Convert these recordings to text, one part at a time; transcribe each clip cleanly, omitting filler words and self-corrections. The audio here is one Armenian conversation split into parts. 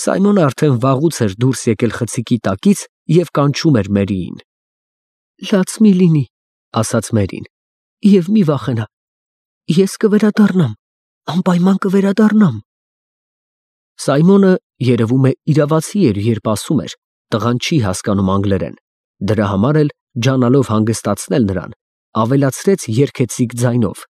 Սայմոնը արդեն վաղուց էր դուրս եկել խցիկի տակից և կանչում էր Մերիին։ Լաց մի լինի, ասաց Մերին, և մի վախենա, ես կվերադառնամ, անպայման կվերադառնամ։ Սայմոնը երևում է իրավացի էր, երբ ասում էր, տղան չի հասկանում անգլերեն, դրա համար էլ ջանալով հանգստացնել նրան, ավելացրեց երգեցիկ ձայնով,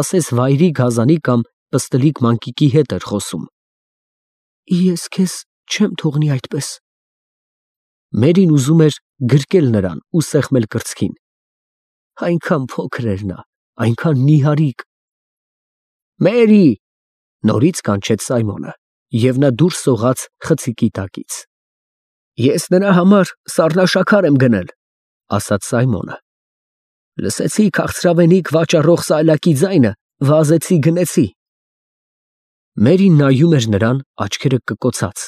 ասես վայրի գազանի կամ պստլիկ մանկիկի հետ էր խոսում։ Ես քեզ չեմ թողնի այդպես։ Մերին ուզում էր գրկել նրան ու սեղմել կրծքին։ Այնքան փոքր էր նա, այնքան նիհարիկ։ Մերի, նորից կանչեց Սայմոնը, և նա դուրս սողաց խցիկի տակից։ Ես նրա համար սառնաշաքար եմ գնել, ասաց Սայմոնը։ Լսեցի քաղցրավենիք վաճառող սայլակի ձայնը, վազեցի գնեցի։ Մերին նայում էր նրան աչքերը կկոցած,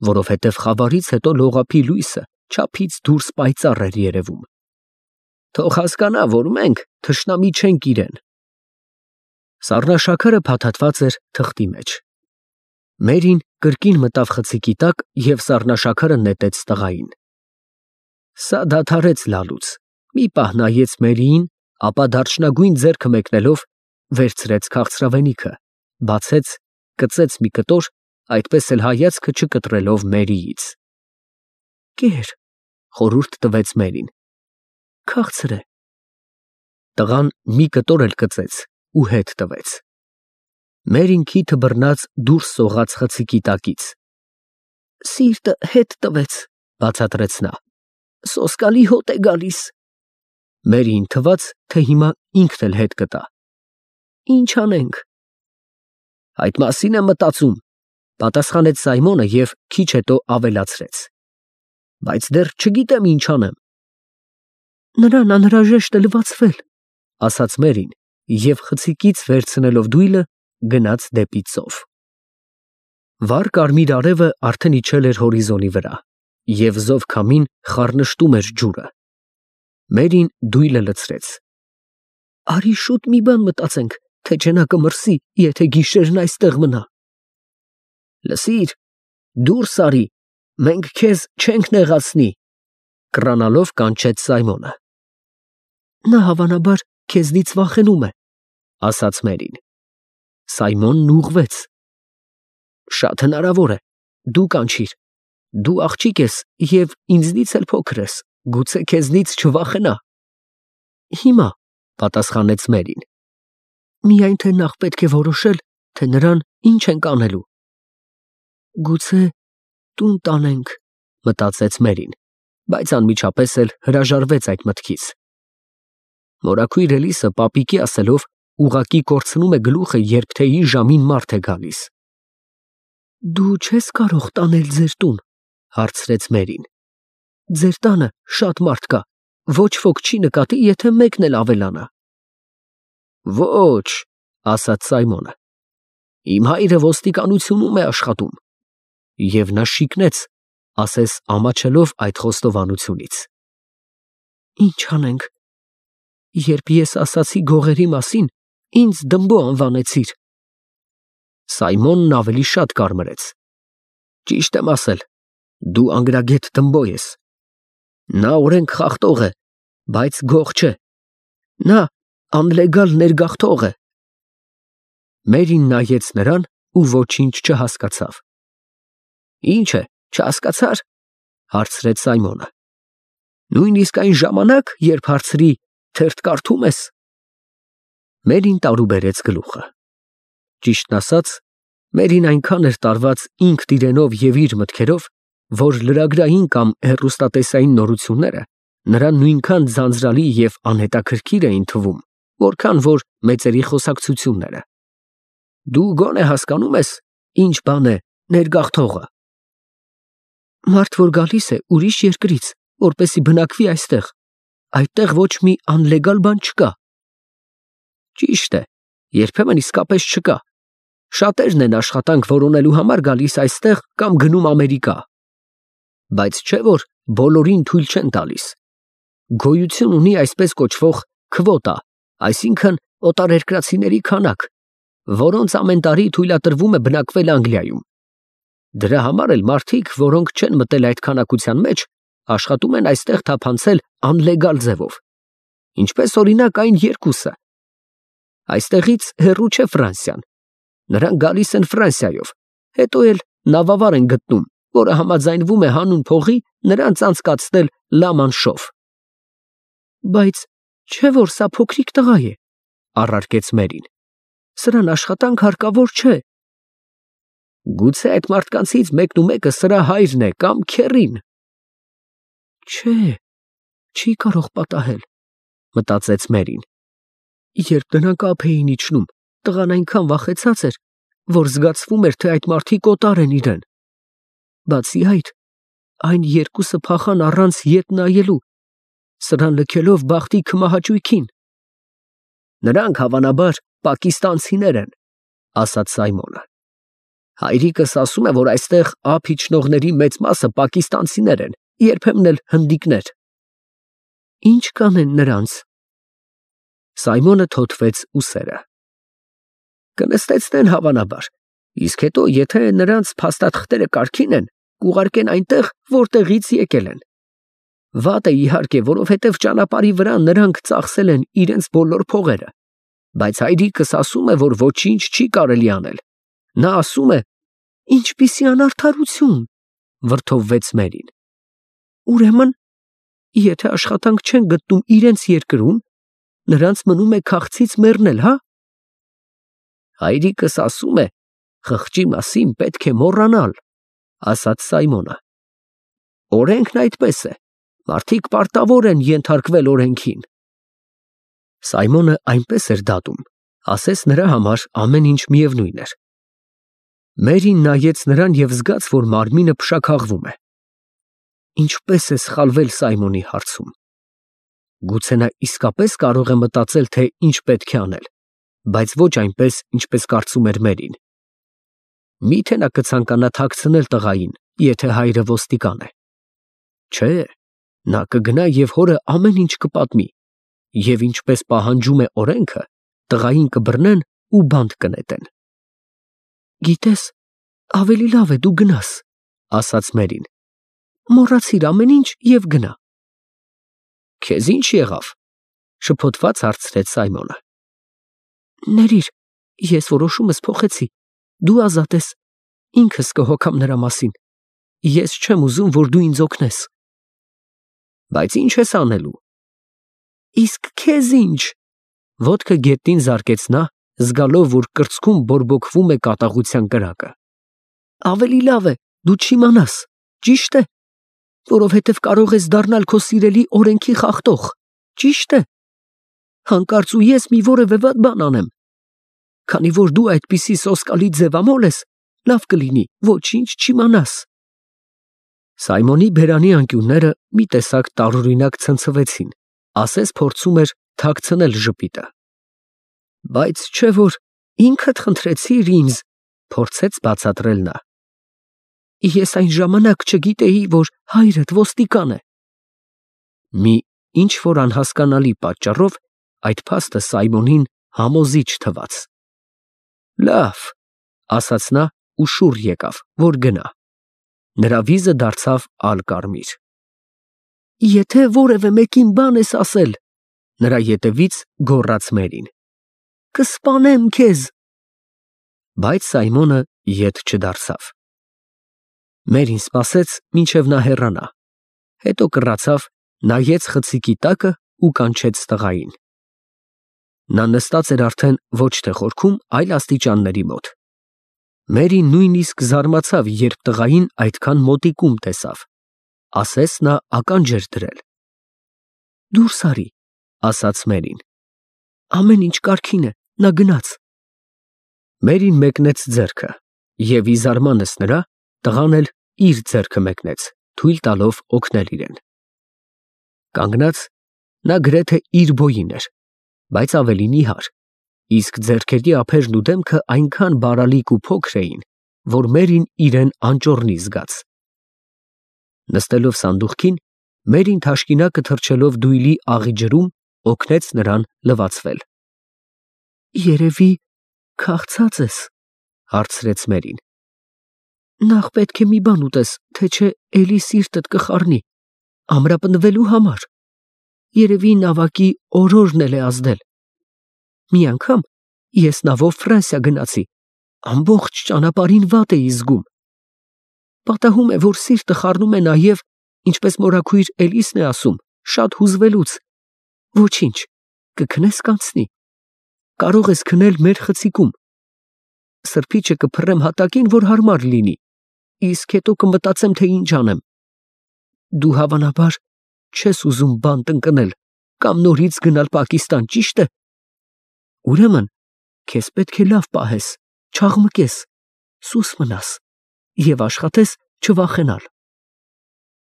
որովհետև խավարից հետո լողափի լույսը չափից դուրս պայծառ էր երևում։ Թող հասկանա, որ մենք թշնամի չենք իրեն։ Սառնաշաքարը փաթաթված էր թղթի մեջ։ Մերին կրկին մտավ խցիկի տակ և սառնաշաքարը նետեց տղային։ Սա դադարեց լալուց, մի պահ նայեց Մերիին, ապա դարչնագույն ձեռքը մեկնելով վերցրեց քաղցրավենիքը, բացեց, կծեց մի կտոր, այդպես էլ հայացքը չկտրելով Մերիից։ Կեր, խորհուրդ տվեց Մերին։ Քաղցր է։ Տղան մի կտոր էլ կծեց ու հետ տվեց։ Մերին քիթը բռնած դուրս սողաց խցիկի տակից։ Սիրտը հետ տվեց, բացատրեց նա։ Սոսկալի հոտ է գալիս։ Մերիին թվաց, թե հիմա ինքն էլ հետ կտա։ Ինչ անենք։ Այդ մասին եմ մտածում, պատասխանեց Սայմոնը և քիչ հետո ավելացրեց. Բայց դեռ չգիտեմ ինչ անեմ։ Նրան անհրաժեշտ է լվացվել, ասաց Մերին և խցիկից վերցնելով դույլը գնաց դեպի ծով։ Վառ կարմիր արևը արդեն իջել էր հորիզոնի վրա, և զով քամին խառնշտում էր ջուրը։ Մերին դույլը լցրեց։ Արի շուտ մի բան մտածենք, թե չէ նա կմրսի, եթե գիշերն այստեղ մնա։ Լսիր, դուրս արի, մենք քեզ չենք նեղացնի, կռանալով կանչեց Սայմոնը։ Նա հավանաբար քեզնից վախենում է, ասաց Մերին։ Սայմոնն ուղղվեց։ Շատ հնարավոր է, դու կանչիր, դու աղջիկ ես և ինձնից էլ փոքր ես, գուցե քեզնից չվախենա։ Հիմա, պատասխանեց Մերին։ Միայն թե նախ պետք է որոշել, թե նրան ինչ ենք անելու։ Գուցե տուն տանենք, մտածեց Մերին, բայց անմիջապես էլ հրաժարվեց այդ մտքից։ Մորաքույր Էլիսը պապիկի ասելով ուղղակի կորցնում է գլուխը, երբ թեյի ժամին մարդ է գալիս։ Դու չես կարող տանել ձեր տուն, հարցրեց Մերին։ Ձեր տանը շատ մարդ կա, ոչ ոք չի նկատի, եթե մեկն էլ ավելանա։ Ոչ, ասաց Սայմոնը։ Իմ հայրը ոստիկանությունում է աշխատում։ Եվ նա շիկնեց, ասես ամաչելով այդ խոստովանությունից։ Ինչ անենք։ Երբ ես ասացի գողերի մասին, ինձ դմբո անվանեցիր։ Սայմոնն ավելի շատ կարմրեց։ Ճիշտ եմ ասել, դու անգրագետ դմբո ես։ Նա օրենք խախտող է, բայց գող չէ։ Նա անլեգալ ներգաղթող է։ Մերին նայեց նրան ու ոչինչ չհասկացավ։ Ինչ է, չհասկացար, հարցրեց Սայմոնը։ Նույնիսկ այն ժամանակ, երբ հարցրի, թերթ կարդում ես։ Մերին տարուբերեց գլուխը։ Ճիշտն ասած, Մերին այնքան էր տարված ինքն իրենով և իր մտքերով, որ լրագրային կամ հեռուստատեսային նորությունները նրան նույնքան ձանձրալի և անհետաքրքիր էին թվում, որքան որ մեծերի խոսակցությունները։ Դու գոնե հասկանում ես, ինչ բան է ներգաղթողը։ Մարդ, որ գալիս է ուրիշ երկրից, որպեսզի բնակվի այստեղ, այդտեղ ոչ մի անլեգալ բան չկա։ Ճիշտ է, երբեմն իսկապես չկա։ Շատերն են աշխատանք որոնելու համար գալիս այստեղ կամ գնում Ամերիկա։ Բայց չէ որ բոլորին թույլ չեն տալիս։ Գոյություն ունի այսպես կոչվող քվոտա, այսինքն օտարերկրացիների քանակ, որոնց ամեն տարի թույլատրվում է բնակվել Անգլիայում։ Դրա համար էլ մարդիկ, որոնք չեն մտել այդ քանակության մեջ, աշխատում են այստեղ թափանցել անլեգալ ձևով, ինչպես օրինակ այն երկուսը։ Այստեղից հեռու չէ Ֆրանսիան, նրանք գալիս են Ֆրանսիայով, հետո էլ նավավար են գտնում, որը համաձայնվում է հանուն փողի նրանց անցկացնել Լա Մանշով։ Բայց չէ՞ որ սա փոքրիկ տղա է, առարկեց Մերին։ Սրան աշխատանք հարկավոր չէ։ Գուցե այդ մարդկանցից մեկն ու մեկը սրա հայրն է կամ քեռին։ Չէ, չի կարող պատահել, մտածեց Մերին։ Երբ նրանք ափ էին իջնում, տղան այնքան վախեցած էր, որ զգացվում էր, թե այդ մարդիկ օտար են իրեն։ Բացի այդ, այն երկուսը փախան առանց ետ նայելու, սրան լքելով բախտի քմահաճույքին։ Նրանք հավանաբար պակիստանցիներ են, ասաց Սայմոնը։ Հայրիկս ասում է, որ այստեղ ափ իջնողների մեծ մասը պակիստանցիներ են, երբեմն էլ հնդիկներ։ Ինչ կանեն նրանց։ Սայմոնը թոթվեց ուսերը։ Կնստեցնեն հավանաբար, իսկ հետո, եթե նրանց փաստաթղթերը կարգին են, կուղարկեն այնտեղ, որտեղից եկել են։ Վատ է իհարկե, որովհետև ճանապարհի վրա նրանք ծախսել են իրենց բոլոր փողերը, բայց հայրիկս ասում է, որ ոչինչ չի կարելի անել։ Նա ասում է, ինչպիսի անարդարություն, վրդովվեց Մերին։ Ուրեմն, եթե աշխատանք չեն գտնում իրենց երկրում, նրանց մնում է քաղցից մեռնել, հա։ Հայրիկս ասում է, խղճի մասին պետք է մոռանալ, ասաց Սայմոնը։ Օրենքն այդպես է, մարդիկ պարտավոր են ենթարկվել օրենքին։ Սայմոնը այնպես էր դատում, ասես նրա համար ամեն ինչ միևնույն էր։ Մերին նայեց նրան և զգաց, որ մարմինը փշաքաղվում է։ Ինչպես է սխալվել Սայմոնի հարցում։ Գուցե նա իսկապես կարող է մտածել, թե ինչ պետք է անել, բայց ոչ այնպես, ինչպես կարծում էր Մերին։ Միթե նա կցանկանա թաքցնել տղային, եթե հայրը ոստիկան է։ Չէ, նա կգնա և հորը ամեն ինչ կպատմի, և ինչպես պահանջում է օրենքը, տղային կբռնեն ու բանտ կնետեն։ Գիտես, ավելի լավ է դու գնաս, ասաց Մերին։ Մոռացիր ամեն ինչ և գնա։ Քեզ ինչ եղավ, շփոթված հարցրեց Սայմոնը։ Ներիր, ես որոշումս փոխեցի, դու ազատ ես, ինքս կհոգամ նրա մասին, ես չեմ ուզում, որ դու ինձ օգնես։ Բայց ինչ ես անելու։ Իսկ քեզ ինչ։ Ոտքը գետնին զարկեց նա, զգալով, որ կրծքում բորբոքվում է կատաղության կրակը։ Ավելի լավ է, դու չիմանաս, ճիշտ է, որովհետև կարող ես դառնալ քո սիրելի օրենքի խախտող, ճիշտ է։ Հանկարծ ու ես մի որևէ վատ բան անեմ։ Քանի որ դու այդպիսի սոսկալի ձևամոլ ես, լավ կլինի, ոչինչ չիմանաս։ Սայմոնի բերանի անկյունները մի տեսակ տարօրինակ ցնցվեցին, ասես փորձում էր թաքցնել ժպիտը։ Բայց չէ որ ինքդ խնդրեցիր ինձ, փորձեց բացատրել նա։ Ես այն ժամանակ չգիտեի, որ հայրդ ոստիկան է։ Մի ինչ որ անհասկանալի պատճառով այդ փաստը Սայմոնին համոզիչ թվաց։ Լավ, ասաց նա ու շուռ եկավ, որ գնա։ Նրա վիզը դարձավ ալկարմիր։ Եթե որևէ մեկին բան ես ասել, նրա ետևից գոռաց Մերին, կսպանեմ քեզ։ Բայց Սայմոնը ետ չդարձավ։ Մերին սպասեց, մինչև նա հեռանա, հետո կռացավ, նայեց խցիկի տակը ու կանչեց տղային։ Նա նստած էր արդեն ոչ թե խորքում, այլ աստիճանների մոտ։ Մերին նույնիսկ զարմացավ, երբ տղային այդքան մոտիկում տեսավ, ասես նա ականջ էր դրել։ Դուրս արի, ասաց Մերին։ Ամեն ինչ կարգին է, նա գնաց։ Մերին մեկնեց ձեռքը, և ի զարմանս նրա, տղան էլ իր ձեռքը մեկնեց, թույլ տալով օգնել իրեն։ Կանգնած, նա գրեթե իր բոյին էր, բայց ավելի նիհար, իսկ ձեռքերի ափերն ու դեմքը այնքան բարալիկ ու փոքր էին, որ Մերին իրեն անճոռնի զգաց։ Նստելով սանդուղքին, Մերին թաշկինակը թռչելով դույլի աղի ջրում, օգնեց նրան լվացվել։ Երևի քաղցած ես, հարցրեց Մերին։ Նախ պետք է մի բան ուտես, թե չէ էլի սիրտդ կխառնի, ամրապնդվելու համար։ Երևի նավակի օրորն էլ է ազդել։ Մի անգամ ես նավով Ֆրանսիա գնացի, ամբողջ ճանապարհին վատ էի զգում։ Պատահում է, որ սիրտը խառնում է նաև, ինչպես մորաքույր Էլիսն է ասում, շատ հուզվելուց։ Ոչինչ, կքնես կանցնի։ Կարող ես քնել մեր խցիկում։ Սրբիչը կփռեմ հատակին, որ հարմար լինի, իսկ հետո կմտածեմ, թե ինչ անեմ։ Դու հավանաբար չես ուզում բանտ ընկնել կամ նորից գնալ Պակիստան, ճիշտ է։ Ուրեմն, քեզ պետք է լավ պահես, չաղմկես, սուս մնաս և աշխատես չվախենալ։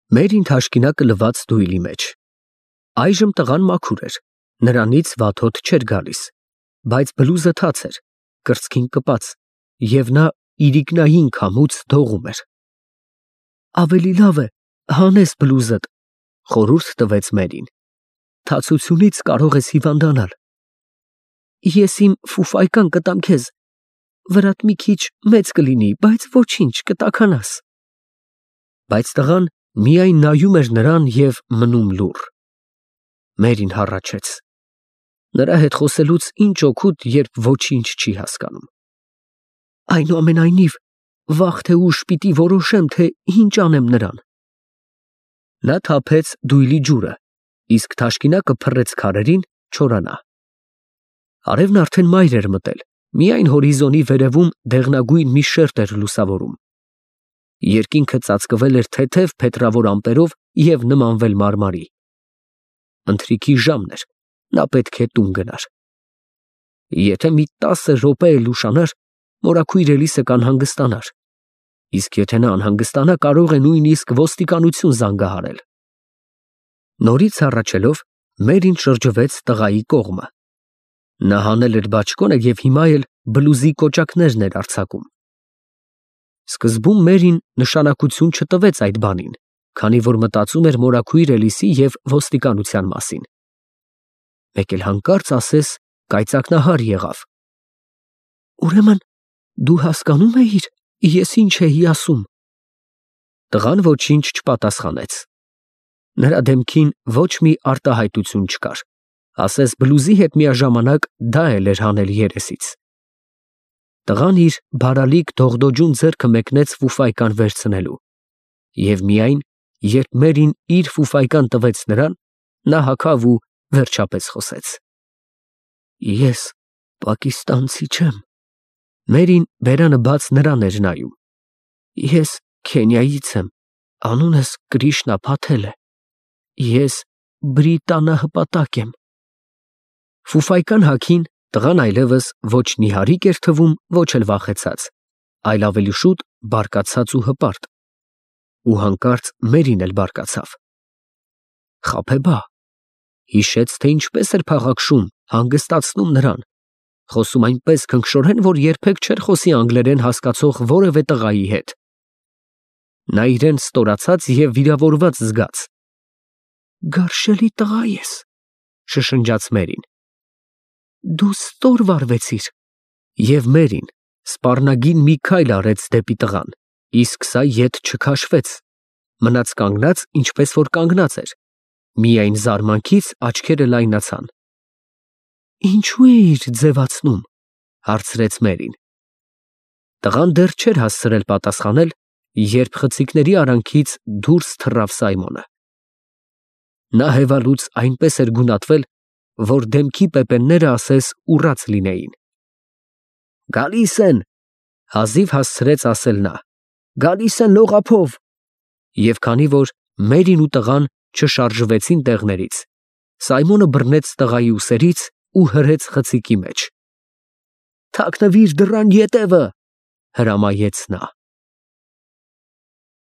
Մերին թաշկինակը լված դույլի մեջ։ Այժմ տղան մաքուր էր, նրանից վատ հոտ չէր գալիս, բայց բլուզը թաց էր, կրծքին կպած, և նա իրիկնային քամուց դողում էր։ Ավելի լավ է հանես բլուզդ, խորհուրդ տվեց Մերին։ Թացությունից կարող ես հիվանդանալ։ Ես իմ ֆուֆայկան կտամ քեզ, վրատ մի քիչ մեծ կլինի, բայց ոչինչ, կտաքանաս։ Բայց տղան միայն նայում էր նրան և մնում լուռ։ Մերին հառաչեց։ Նրա հետ խոսելուց ինչ օգուտ, երբ ոչինչ չի հասկանում։ Այնուամենայնիվ, վաղ թե ուշ պիտի որոշեմ, թե ինչ անեմ նրան։ Նա թափեց դույլի ջուրը, իսկ թաշկինակը փռեց քարերին, չորանա։ Արևն արդեն մայր էր մտել, միայն հորիզոնի վերևում դեղնագույն մի շերտ էր լուսավորում։ Երկինքը ծածկվել էր թեթև փետրավոր ամպերով և նմանվել մարմարի։ Ընթրիքի ժամն էր, նա պետք է տուն գնար։ Եթե մի 10 րոպե էլ ուշանար, մորաքույր Էլիսը կանհանգստանար, իսկ եթե նա անհանգստանա, կարող է նույնիսկ ոստիկանություն զանգահարել։ Նորից հառաչելով, Մերին շրջվեց տղայի կողմը։ Նա հանել էր բաճկոնը և հիմա էլ բլուզի կոճակներն էր արձակում։ Սկզբում Մերին նշանակություն չտվեց այդ բանին, քանի որ մտածում էր մորաքույր Էլիսի և ոստիկանության մասին։ Մեկ էլ հանկարծ ասես կայծակնահար եղավ։ Ուրեմն դու հասկանում էիր, ես ինչ էի ասում։ Տղան ոչինչ չպատասխանեց։ Նրա դեմքին ոչ մի արտահայտություն չկար, ասես բլուզի հետ միաժամանակ դա էլ էր հանել երեսից։ Տղան իր բարալիկ դողդոջուն ձեռքը մեկնեց ֆուֆայկան վերցնելու, և միայն, երբ Մերին իր ֆուֆայկան տվեց նրան, նա հագավ ու վերջապես խոսեց։ Ես պակիստանցի չեմ։ Մերին բերանը բաց նրան էր նայում։ Ես Քենիայից եմ, անունս Կրիշնա Փաթել է։ Ես բրիտանահպատակ եմ։ Ֆուֆայկան հագին տղան այլևս ոչ նիհարիկ էր թվում, ոչ էլ վախեցած, այլ ավելի շուտ բարկացած ու հպարտ։ Ու հանկարծ Մերին էլ բարկացավ։ Խաբեբա, հիշեց, թե ինչպես էր փաղաքշում, հանգստացնում նրան, խոսում այնպես քնքշորեն, որ երբեք չէր խոսի անգլերեն հասկացող որևէ տղայի հետ։ Նա իրեն ստորացած և վիրավորված զգաց։ Գարշելի տղա ես, շշնջաց Մերին։ Դու ստոր վարվեցիր։ Եվ Մերին սպառնագին մի քայլ արեց դեպի տղան, իսկ սա ետ չքաշվեց, մնաց կանգնած, ինչպես որ կանգնած էր, միայն զարմանքից աչքերը լայնացան։ Ինչու էիր ձևացնում, հարցրեց Մերին։ Տղան դեռ չէր հասցրել պատասխանել, երբ խցիկների արանքից դուրս թռավ Սայմոնը։ Նա հևալուց այնպես էր գունատվել, որ դեմքի պեպենները ասես ուռած լինեին։ Գալիս են, հազիվ հասցրեց ասել նա, գալիս են լողափով։ Եվ քանի որ Մերին ու տղան չշարժվեցին տեղներից, Սայմոնը բռնեց տղայի ուսերից ու հրեց խցիկի մեջ։ Թաքնվիր դռան ետևը, հրամայեց նա։